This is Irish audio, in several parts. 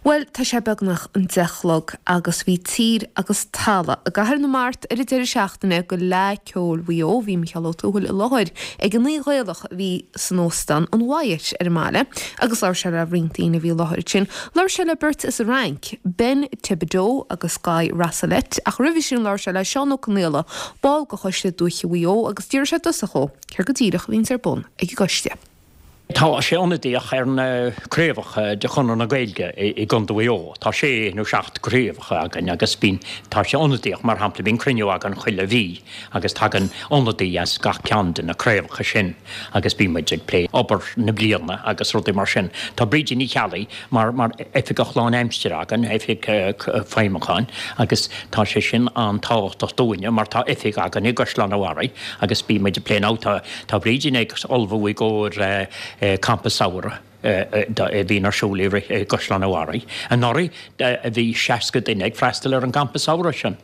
Bhuel, tá sé beagnach an 10 a chlog agus bhí tír agus talamh i gCathair na Mart ar an deireadh seachtaine go Fhleadh Ceoil Mhaigh Eo. Bhí Micheál Ó Tuathail i láthair ag an oíche Ghaelach a bhí san óstán an Wyatt ar an mbaile agus labhair sé le roinnt daoine a bhí i láthair ansin. Labhair sé le beirt as an Fhrainc, Ben Thibodeau agus Guy Rosselet, ach roimhe sin labhair sé le Seán Ó Conaola, ball de Choiste Dúiche Mhaigh Eo agus d'iarr sé i dtosach dhó céard go díreach a bhíonns ar bun ag an gcoiste. Tá sé ionadaíoch ar na craobhacha de Chonradh na Gaeilge i gContae Mhaigh Eo. Tá sé nó seacht gcraobhacha againn agus bíonn, tá sé ionadaíoch, mar shampla, bíonn cruinniú againn chuile mhí agus tagann ionadaí as gach ceann de na craobhacha sin agus bíonn muid ag plé obair na bliana agus rudaí mar sin. Tá Brídín Ní Cheallaigh mar, mar oifigeach lánaimsire againn, oifigeach feidhmiúcháin agus tá sé sin an-tábhachtach dúinne mar tá oifig againn i gCaisleán an Bharraigh agus bíonn muid ag plé now tá, Tá Brídín ag ullmhú i gcomhair campa samhraidh a bhíonn ar siúl i gCaisleán an Bharraigh. Anuraidh bhí 60 duine ag freastal ar an gcampa samhraidh sin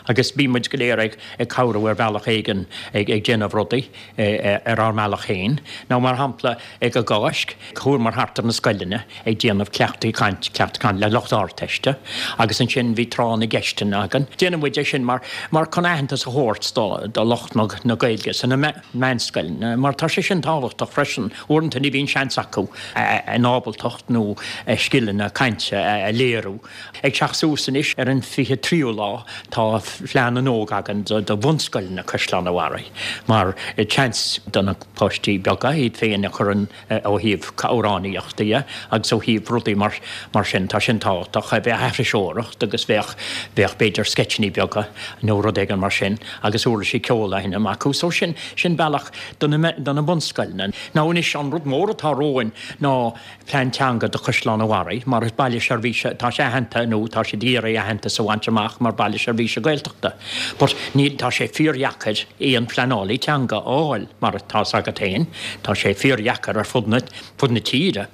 agus bíonn muid go léir ag cabhrú ar bhealach éigin ag déanamh rudaí ar ár mbealach féin. Nó mar shampla ag an gCáisc, chuamar thart ar na scoileanna ag déanamh cleachtaí caint, cleachtadh caint le lucht Ardteiste agus ansin bhí tráth na gceisteanna againn. Déanann muid é sin mar, mar chun aitheantas a thabhairt do, do lucht na, na Gaeilge sna meánscoileanna mar tá sé sin tábhachtach freisin. Uaireanta ní bhíonn seans acu a n-ábaltacht nó a scileanna cainte a léiriú. Ag teacht suas anois ar an 23ú lá tá Fleadh na nÓg againn do, do bhunscoileanna Caisleán an Bharraigh mar seans do na páistí beaga iad féin a chur in ó thaobh amhránaíochta dhe agus ó thaobh rudaí mar mar sin, tá sin tábhachtach, bheadh aithriseoireacht agus bheadh, bheadh b'fhéidir sceitseanna beaga nó rud éigin mar sin agus uirlisí ceoil á sheinm acu. So sin, sin bealach do na, do na bunscoileanna. Now anois an rud mór atá romhainn ná plean teanga do Chaisleán an Bharraigh mar is baile seirbhíse, tá sé aitheanta nó tá siad ag iarraidh aitheantas a bhaint amach mar baile seirbhíse Gaeltachta but níl, tá sé fíordheacair aon phleanálaí teanga a fháil. Mar atá's agat féin, tá sé fíordheacair ar fud na, fud na tíre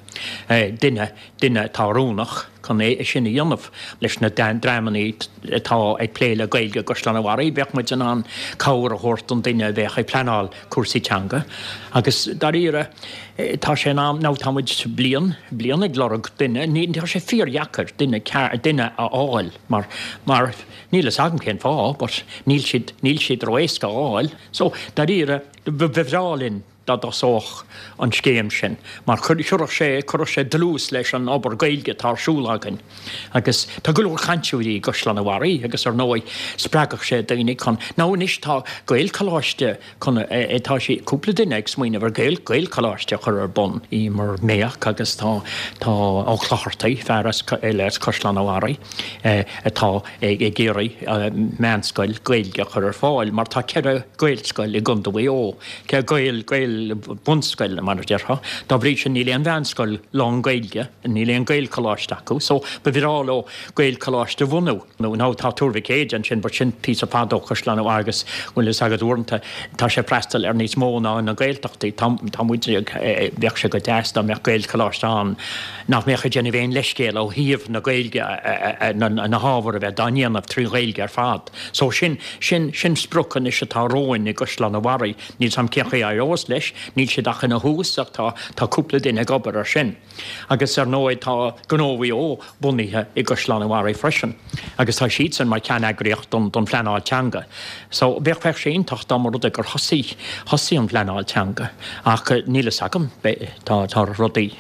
duine, duine atá oiriúnach chun é sin a dhéanamh. Leis na dreamanna atá ag plé le Gaeilge i gCaisleán an Bharraigh, bheadh muid in ann cabhair a thabhairt don duine a bheadh ag pleanáil cúrsaí teanga. Agus dáiríre, tá sé in am, now tá muid bliain, bliain ag lorg duine, ní, tá sé fíordheacair duine, duine a fháil mar, mar níl fhios agam cén fáth but níl siad, níl siad ró-éasca a fháil. So, dáiríre, ba bhreá linn dá dtosódh an scéim sin, mar chuirfeadh sé, chuirfeadh sé dlús leis an obair Gaeilge atá ar siúl againn. Agus tá go leor cainteoirí i gCaisleán an Bharraigh agus ar ndóigh spreagfadh sé daoine chun, now anois tá Gaelcholáiste chun, tá sé, cúpla duine ag smaoineamh ar Gael, Gaelcholáiste a chur ar bun. Emer Mayock agus tá, tá Ó Clochartaigh, fear as, eile as Caisleán an Bharraigh, atá ag iarraidh meánscoil Gaeilge a chur ar fáil mar tá 4 Gaelscoil i gContae Mhaigh Eo, 4 Gael, Gael bunscoil mar a déarfá. Dá bhrí sin níl aon mheánscoil lán-Ghaeilge, níl aon Gaelcholáiste acu so ba bhreá leo Gaelcholáiste a bhunú. Now tá Tuar Mhic Éide ansin but sin píosa fada ó Chaisleán an Bharraigh agus bhfuil fhios agat uaireanta tá sé ag freastal ar níos mó ná na Gaeltachtaí. Tá, tá muid ag, bheadh sé go deas dá mbeadh Gaelcholáiste ann. nach mbeadh ag déanamh aon leithscéal ó thaobh na Gaeilge, na hábhair a bheith dá ndéanamh trí Ghaeilge ar fad. So sin, sin, sin sprioc anois atá romhainn i gCaisleán an Bharraigh. Níl 's a'm cén chaoi a éireos leis, níl siad ach ina thús ach tá, tá cúpla duine ag obair ar sin. Agus ar ndóigh tá Gnó Mhaigh Eo bunaithe i gCaisleán an Bharraigh freisin agus tá siadsan mar cheanneagraíocht don, don phleanáil teanga. So bheadh, bheadh sé iontach dá mba rud é gur thosaigh, thosaigh an phleanáil teanga ach níl fhios agam, tá, tá rudaí.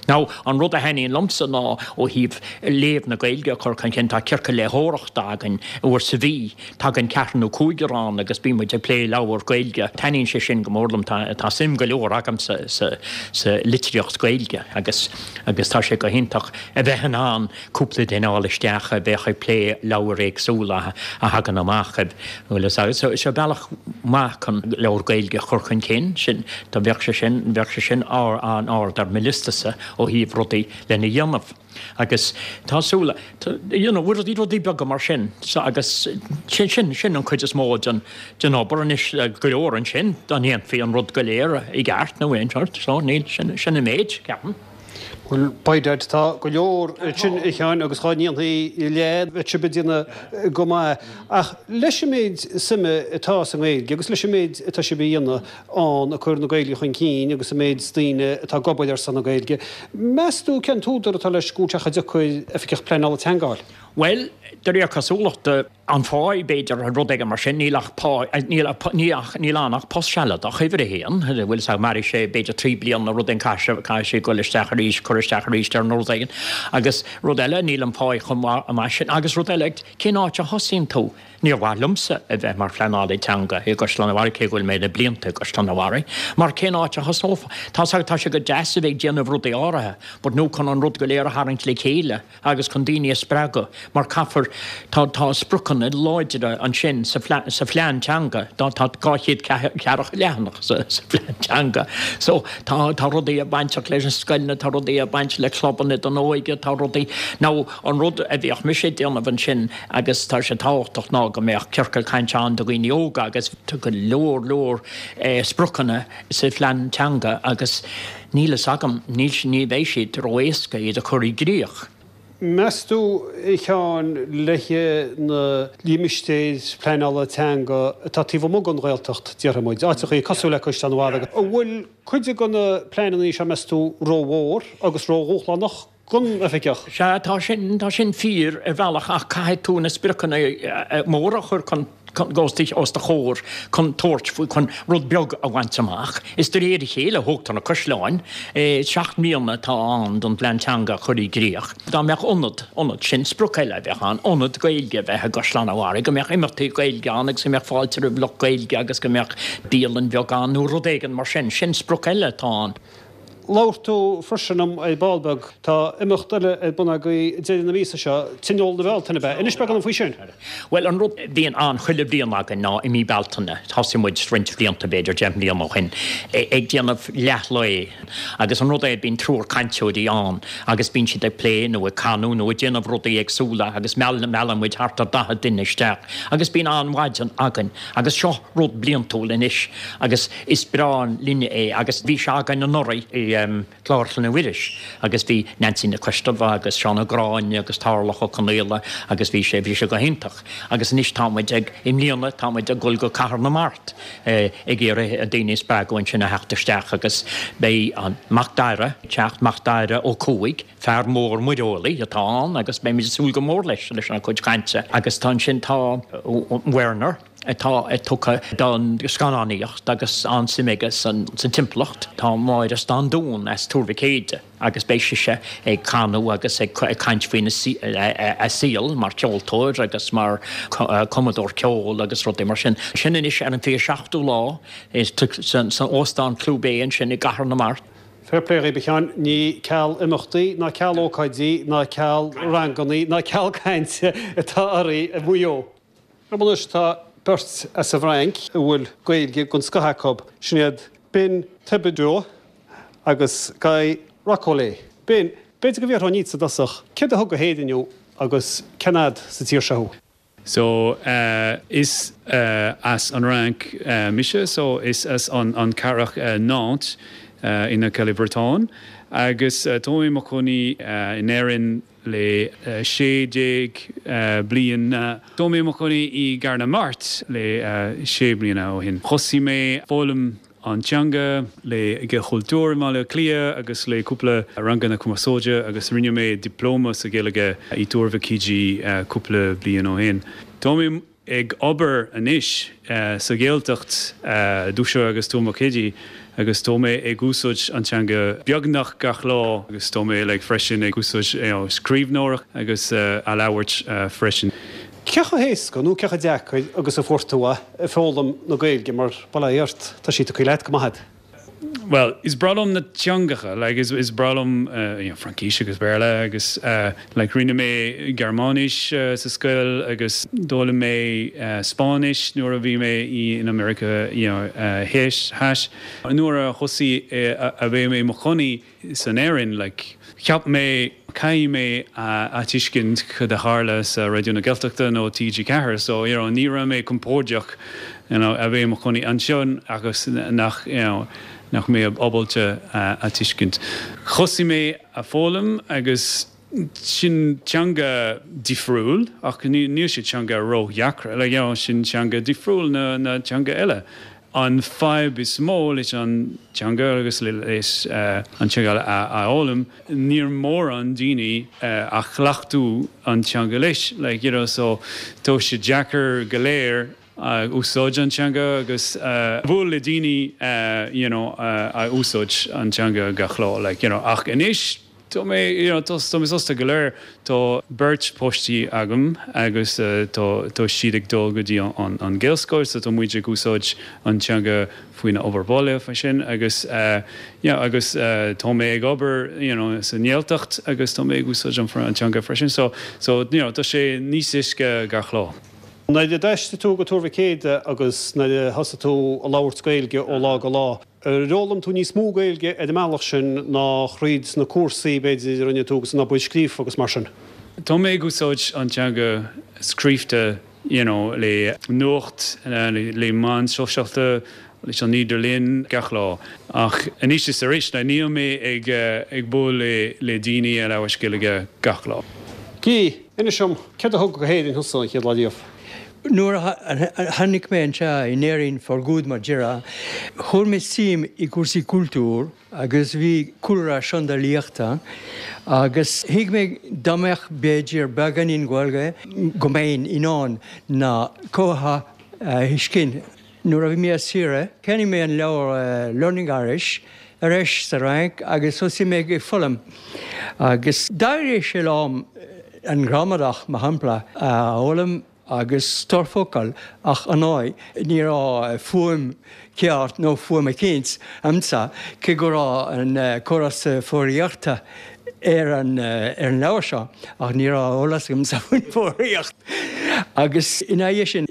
Now, an rud a thaitníonn liomsa ná ó thaobh léamh na Gaeilge a chur chun cinn, tá ciorcal léitheoireachta againn uair sa mhí, tagann ceathrar nó cúigear ann agus bíonn muid ag plé leabhar Gaeilge. Taitníonn sé sin go mór liom, tá suim go leor agamsa sa sa litríocht Gaeilge agus agus tá sé go hiontach a bheith in ann cúpla duine a fháil isteach a bheadh ag plé leabhair éagsúla a thagann amach. Bhuel is seo bealach maith chun leabhar Gaeilge a chur chun cinn, sin, dá bheadh sé sin, bheadh sé sin an-ard ar mo liostasa ó thaobh rudaí lena dhéanamh. Agus tá súil, you know, rudaí, rudaí beaga mar sin agus sin, sin, sin an chuid is mó den, den obair anois, go leor ansin dá ndéanfaí an rud go léir i gceart nó aon sort, so níl, sin, sin an méid, ceapaim. Bhuel, by dad, tá go leor ansin, a Sheáin, agus dhá ndéanfaí leath, bheadh sibh ag déanamh go maith. Ach leis an méid suime atá sa nGaeilge agus leis an méid atá sibh a dhéanamh ann ag cur na Gaeilge chun cinn agus an méid daoine atá ag obair ar son na Gaeilge, meas tú cén t-údar atá leis go bhfuil sé chomh deacair Oifigeach Pleanála Teanga a fháil? Bhuel, de réir cosúlachta, an pháigh, b'fhéidir, rud éigin mar sin, níl ach pá, níl ach, níl ann ach post sealadach, uimhir a haon, bhfuil fhios agat, mairfidh sé b'fhéidir 3 bliana nó rud éigin, caithfidh sé, caithfidh sé dul isteach arís, cur isteach arís air nó rud éigin. Agus rud eile, níl an pháigh chomh maith, maith sin. Agus rud eile, cén áit a thosaíonn tú? Níor mhaith liomsa a bheith mar phleanálaí teanga i gCaisleán an Bharraigh, cé go bhfuil mé le blianta i gCaisleán an Bharraigh, mar cén áit a thosófá? Tá 's agat, tá sé go deas a bheith ag déanamh rudaí áirithe, but nó chun an rud go léir a tharraingt le chéile, agus chun daoine a spreagadh mar caithfear, tá, tá spriocanna láidre ansin sa phlean, sa phlean teanga, tá, tá 240 leathanach sa, sa phlean teanga. So tá, tá rudaí ag bainteach leis na scoileanna, tá rudaí ag baint le clubanna don óige, tá rudaí, now an rud a bheadh mise ag déanamh ansin agus tá sé tábhachtach ná go mbeadh ciorcal cainte ann do dhaoine óga agus tá go leor, leor eh spriocanna sa phlean teanga agus níl fhios agam, níl, ní bheidh siad ró-éasca iad a chur i gcrích. Meas tú, a Sheáin, le na limistéir pleanála teanga atá taobh amuigh den Ghaeltacht, déarfaidh muid, áiteachaí cosúil le Caisleán an Bharraigh, an bhfuil cuid de na pleananna seo, meas tú, rómhór agus ródhúshlánach don oifigeach? Sea, tá sin, tá sin fíor ar bhealach ach caithfidh tú na spriocanna móra a chur chun, os do chomhair chun tabhairt faoi, chun rud beag a bhaint amach. Is de réir a chéile a thógtar na caisleáin. 7 mbliana atá ann don phlean teanga a chur i gcrích. Dá mbeadh ionad, ionad, sin sprioc eile a bheadh ann, ionad Gaeilge a bheith i gCaisleán an Bharraigh, go mbeadh imeachtaí Gaeilge ann agus go mbeadh fáilte roimh lucht Gaeilge agus go mbeadh bialann bheag ann nó rud éigin mar sin. Sin sprioc eile atá ann. Labhair tú freisin liom ar ball beag. Tá imeacht eile ar bun agaibh ag deireadh na míosa seo, Tionól na Bealtaine, ab ea? Inis beagán dom faoi sin. Bhuel, an rud a bhíonn ann chuile bhliain againn ná i mí Bealtaine, thosaigh muid roinnt blianta, b'fhéidir 10 mbliana ó shin, ag déanamh leath lae agus an rud é, bíonn triúr cainteoirí ann agus bíonn siad ag plé nó ag canadh nó ag déanamh rudaí éagsúla agus meallann muid thart ar 40 duine isteach agus bíonn an-mhaidin againn agus seo rud bliantúil anois agus is breá linne é agus bhí sé againn anuraidh i gClár Chlainne Mhuiris agus bhí Neansaí Nic Coistealbha agus Seán Ó Gráinne agus Tarlach Ó Conaola agus bhí sé, bhí sé go hiontach agus anois tá muid ag, i mbliana tá muid ag dul go Cathair na Mart ag iarraidh daoine a spreagadh ansin a theacht isteach agus beidh an Macdara ag teacht, Macdara Ó Cuaig, fear mór muireolaí atá ann agus beimid ag súil go mór leis, leis an chuid cainte agus tá ansin tá Werner. atá tugtha don scannánaíocht agus an-suim aige sa timpeallacht. Tá Máire Standún as Tuar Mhic Éide agus beidh sise ag canadh agus ag caint faoina a saol mar cheoltóir agus mar chumadóir ceoil agus rudaí mar sin. Sin anois ar an 27ú lá san Óstán Clew Bay ansin i gCathair na Mart. Fair play dhaoib a Sheáin, ní ceal imeachtaí ná ceal ócáidí ná ceal rangannaí ná ceal cainte atá oraibh i Maigh Eo. Anois tá beirt as an bhFrainc a bhfuil Gaeilge den scoth acu, sin iad Ben Thibodeau agus Guy Rocolet. Ben, b'fhéidir go bhfiafróinn díotsa i dtosach, céard a thug go hÉirinn thú agus cén fhad sa tír seo thú? So, is as an Fhrainc mise, so is as an cathrach Nantes in aice le Briotáin agus tá mé i mo chónaí in Éirinn le 16 bliain. Tá mé i mo chónaí i gCathair na Mart le 6 bliana ó shin. Thosaigh mé foghlaim an teanga le Gaelchultúr i mBaile Átha Cliath agus le cúpla ranganna cumarsáide agus rinne mé dioplóma sa Ghaeilge i dTuar Mhic Éadaigh cúpla bliain ó shin. Tá mé ag obair anois sa Ghaeltacht, Dúiche agus Tuar Mhic Éadaigh agus tá mé ag úsáid an teanga beagnach gach lá agus tá mé like freisin ag úsáid you know scríbhneoireacht agus a labhairt freisin. Cé chomh héasca nó cé chomh deacair agus a fuair tú é ag foghlaim na Gaeilge mar bail ó Dhia ort, tá sí tugtha leat go maith agat. Bhuel, is breá liom na teangacha, like is is breá liom you know Fraincis agus Béarla agus like rinne mé Gearmáinis sa scoil agus d'fhoghlaim mé Spáinnis nuair a bhí mé i in America you know theas. Nuair a thosaigh a bheith mé i mo chónaí san Éirinn, like cheap mé caithfidh mé a tuiscint cad a tharla sa Raidió na Gaeltachta nó TG4 so you know ní raibh mé compordach you know a bheith i mo chónaí anseo agus nach you know. nach mé ábalta a tuiscint. Thosaigh mé a foghlaim agus sin teanga difriúil ach níl sé teanga ró-dheacra, like you know sin teanga difriúil na na teanga eile. An fadhb is mó leis an teanga agus leis an teanga a fhoghlaim, níl mórán daoine a chleachtú an teanga leis, like you know so tá sé deacair go léir a úsáid an teanga agus buail le daoine you know a úsáid an teanga gach lá like you know ach anois tá mé you know tá mé sásta go léir tá beirt páistí agam agus tá tá siad ag dul go dtí an an Gaelscoil so tá muid ag úsáid an teanga faoina obair baile faoi sin agus yeah agus tá mé ag obair you know sa nGaeltacht agus tá mé ag úsáid an teanga freisin so so you know tá sé níos éasca gach lá. Nuair a d'aistrigh tú go Tuar Mhic Éadaigh agus nuair a thosaigh tú a labhairt Gaeilge ó lá go lá, ar fhoghlaim tú níos mó Gaeilge ar an mbealach sin ná thríd na cúrsaí, b'fhéidir, a rinne tú agus an obair scríofa agus mar sin? Tá mé ag úsáid an teanga scríofa you know le nuacht, le meáin sóisialta, leis an idirlíon gach lá. Ach anois is arís, níl mé ag bualadh le daoine a labhairt Gaeilge gach lá. Guy, inis dom, céard a thug go hÉirinn thusa an chéad lá riamh? Nuair a tháinig mé anseo in Éirinn for good mar déarfá, chuir mé suim i gcúrsaí cultúir agus bhí cúlra seandálaíochta agus thuig mé dá mbeadh b'fhéidir beagáinín Gaeilge go mbeinn in ann na comhartha a thuiscint. Nuair a bhí mé ar saoire, cheannaigh mé an leabhar Learning Irish ar ais sa Fhrainc agus thosaigh mé ag foghlaim. Agus d'éirigh sé liom an ghramadach, mar shampla, a fhoghlaim agus stór focal ach ar ndóigh ní raibh fuaim ceart nó fuaim eicínt a'msa cé go raibh an córas foghraíochta ar an leabhar seo ach ní raibh eolas agamsa faoin bhfoghraíocht. Agus ina dhiaidh sin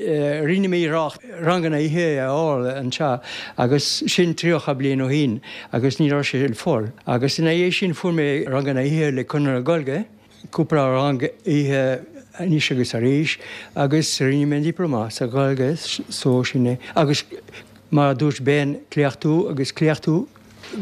rinne mé iarracht ranganna oíche a fháil anseo agus sin 30 bliain ó shin agus ní raibh sé ar fáil. Agus ina dhiaidh sin fuair mé ranganna oíche le Conradh na Gaeilge, cúpla rang oíche anois agus arís agus rinne mé an dioplóma sa Ghaeilge so sin é. Agus mar a dúirt Ben, cleachtú agus cleachtú.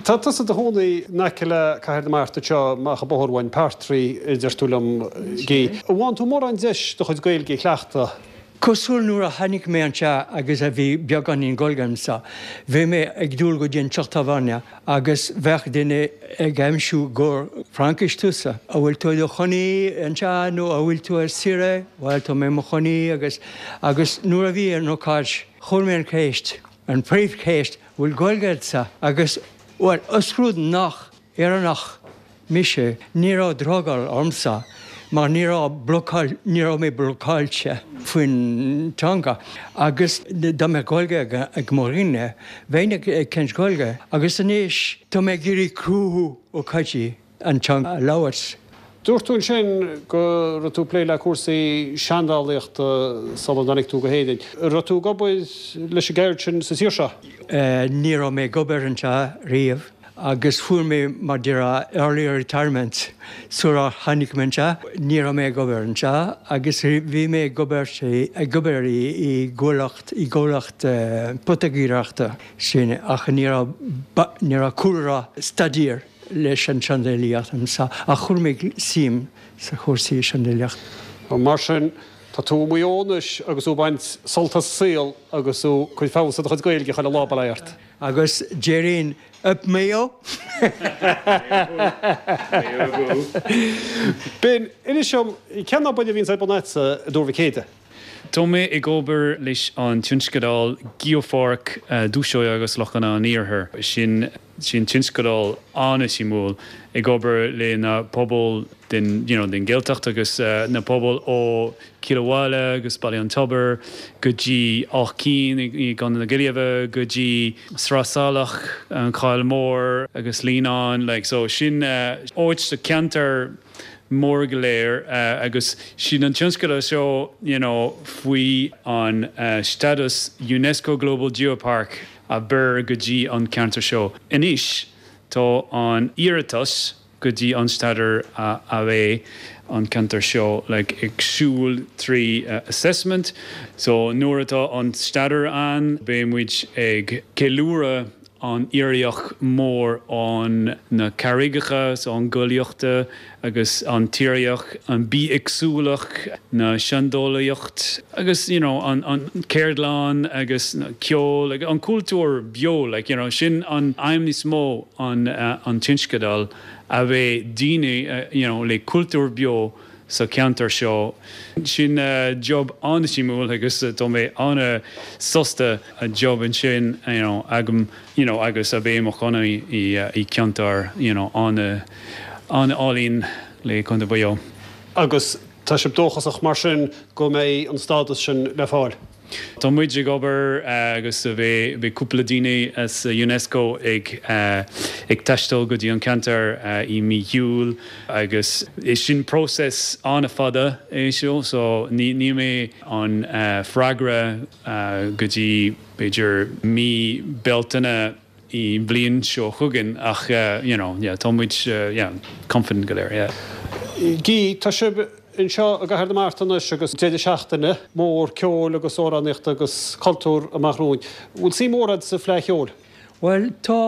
Tá tusa i do chónaí in aice le Cathair na Mart anseo, amach an bóthar uainn, Partry, a deir tú liom, Guy. An bhfaigheann tú mórán deis do chuid Gaeilge a chleachtadh? Cosúil nuair a tháinig mé anseo agus a bhí beagáinín Gaeilge a'msa, bhí mé ag dul go dtí an teach tábhairne agus bheadh duine ag aimsiú gur Fraincis tusa. An bhfuil tú i do chónaí anseo nó an bhfuil tú ar saoire? Bhuel, tá mé i mo chónaí agus agus nuair a bhí an ócáid, chuir mé an cheist, an phríomhcheist, bhfuil Gaeilge agatsa? Agus, bhuel, os rud nach Éireannach mise, ní raibh drogall ormsa mar ní raibh blocáil, ní raibh mé blocáilte faoin teanga. Agus dá mbeadh Gaeilge ag mo dhuine, bheinn ag caint Gaeilge. Agus anois, tá mé ag iarraidh cruthú ócáidí. an teanga a labhairt. Dúirt tú ansin go raibh tú ag plé le cúrsaí seandálaíochta sula dtáinig tú go hÉirinn. An raibh tú ag obair leis an gceird sin sa tír seo? Ní raibh mé ag obair anseo riamh agus fuair mé mar déarfá early retirement sular tháinig mé anseo. Ní raibh mé ag obair anseo agus bhí mé ag obair ag obair i gcomhlacht i gcomhlacht poitigéireachta sin ach ní raibh ní raibh cúlra staidéir leis an tseandálaíocht anseo ach chuir mé suim sa chúrsaí seandálaíochta. Mar sin, tá tú i Maigh Eo anois agus tú ag baint sult as an saol agus tú ag cur feabhas ar do chuid Gaeilge chuile lá, bail ó Dhia ort. Agus déarfainn Up Mayo! Ben, inis dom, cén obair a bhíonns ar bun agatsa i dTuar Mhic Éadaigh? Tá mé ag obair leis an tionscadal Geopháirc Dúshóigh agus Lochanna an Iarthair. Sin sin tionscadal an-suimiúil ag obair le na pobail den you know den Ghaeltacht agus na pobail ó Cill Abhaile agus Baile an Tobair go dtí Áth Cinn i gContae na Gaillimhe go dtí Sraith Salach, An Choill Mhór agus Líonán like so sin áit sa ceantar mór go léir agus sin an tionscadal seo you know faoi an status Unesco Global Geopark a bheir go dtí an ceantar seo. Anois tá an iarratas go dtí an status a bheidh an ceantar seo like ag siúl trí assessment so nuair atá an status ann beidh muid ag ceiliúradh. an tírdhreach mór an na carraigeacha so an gcollaíochta agus an tírdhreach, an bithéagsúlacht, na seandálaíocht agus you know an an ceardlann agus na ceol agus an cultúr beo like you know sin an aidhm níos mó an an tionscadal a bheith daoine you know le cultúr beo sa cheantar seo. Sin job an-suimiúil agus tá mé an-sásta a job ansin you know agam you know agus a bheith i mo chónaí i ceantar you know an-álainn le Contae Mhaigh Eo. Agus tá sibh dóchasach mar sin go mbeidh an stádas sin le fáil? Tá muid ag obair agus beidh cúpla daoine as Unesco ag ag taisteal go dtí an ceantar i mí Iúil agus is sin próiseas an-fhada é seo so ní ní mbeidh an freagra go dtí b'fhéidir mí Bealtaine i mbliain seo chugainn ach you know yeah tá muid yeah confident go léir yeah. Guy, tá sibh anseo i gCathair na Mart anois agus deireadh seachtaine mór ceoil agus amhránaíochta agus cultúr amach romhainn. Bhfuil suim mhór agat sa Fleadh Cheoil? Bhuel tá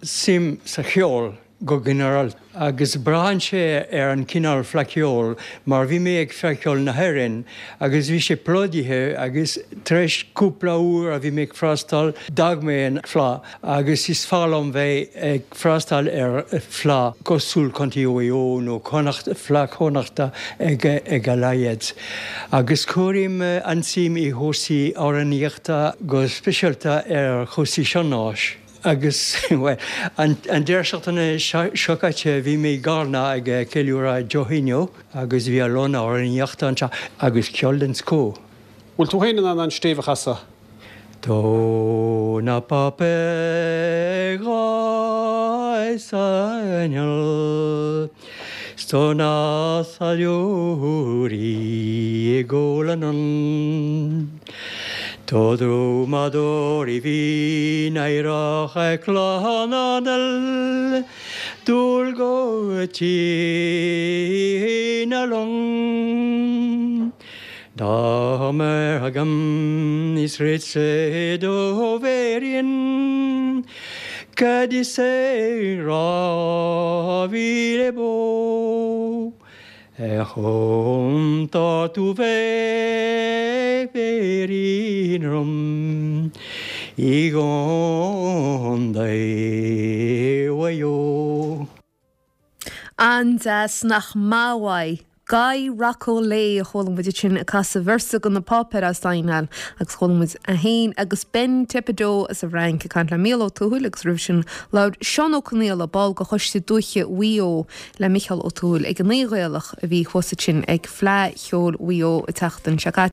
suim sa cheol go ginearálta, agus braitheann sé ar an cineál Fleadh Cheoil, mar bhí mé ag Fleadh Cheoil na hÉireann agus bhí sé plódaithe agus tar éis cúpla uair a bhí mé ag freastal, d'fhág mé an fleadh agus is fearr liom bheith ag freastal ar fleadh cosúil Contae Mhaigh Eo nó Connacht, Fleadh Chonnachta ag ag a laghad. Agus cuirim an-suim i chúrsaí amhránaíochta go speisialta ar chúrsaí sean-nóis. Agus, bhuel, an deireadh seachtaine seo caite bhí mé i gCarna ag ceiliúradh Joe Henio agus bhí a lán amhránaíochta anseo agus ceol den scoth. Bhfuil tú féin in ann an stéibh a chasadh? Tá na páipéir sa 'S tá na táilliúirí ag ól anonn. Tá drumadóirí Mhín Aerach ag clann dul go Tír na Long. Dá mbeadh agam is rite do bhéarfainn cad is é 2000 bó ar chontar tú bheith féirín orm i gContae Mhaigh Eo. An-deas, nach maith uaidh? Guy Rocco Lay a chuala muid ansin ag casadh véarsa de Na Páipéir as Aidhneáil agus chuala muid é féin agus Ben Thépadeau as an bhFrainc ag caint le Mícheál Ó Tuathail agus roimhe sin labhair Seán Ó Conaola, ball de Choiste Dúiche Mhaigh Eo le Micheál Ó Tuathail ag an Aoi Ghaelach a bhí thuas ansin ag Fleadh Cheoil Mhaigh Eo an tseachtain seo caite.